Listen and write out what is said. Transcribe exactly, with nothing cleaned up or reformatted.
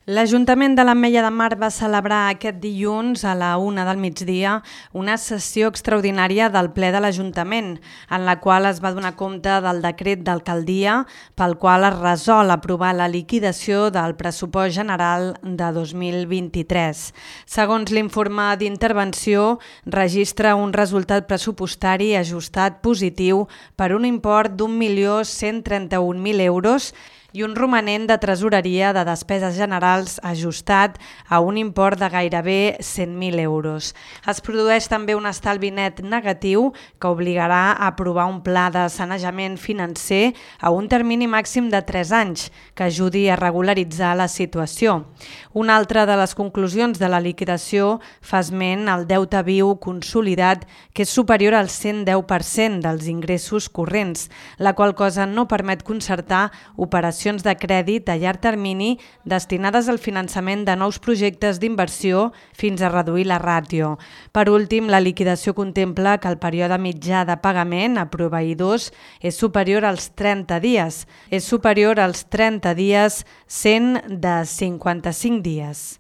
L'Ajuntament de l'Ametlla de Mar va celebrar aquest dilluns a la una del migdia una sessió extraordinària del ple de l'Ajuntament, en la qual es va donar compte del decret d'alcaldia pel qual es resol aprovar la liquidació del pressupost general de dos mil vint-i-tres. Segons l'informe d'intervenció, registra un resultat pressupostari ajustat positiu per un import d'un milió cent trenta-un mil euros i un romanent de tresoreria de despeses generals ajustat a un import de gairebé cent mil euros. Es produeix també un estalvi net negatiu que obligarà a aprovar un pla de sanejament financer a un termini màxim de tres anys que ajudi a regularitzar la situació. Una altra de les conclusions de la liquidació fa esment al deute viu consolidat, que és superior al cent deu per cent dels ingressos corrents, la qual cosa no permet concertar operacions de crèdit a llarg termini destinades al finançament de nous projectes d'inversió fins a reduir la ràtio. Per últim, la liquidació contempla que el període mitjà de pagament a proveïdors és superior als trenta dies, és superior als trenta dies, sent de cinquanta-cinc dies.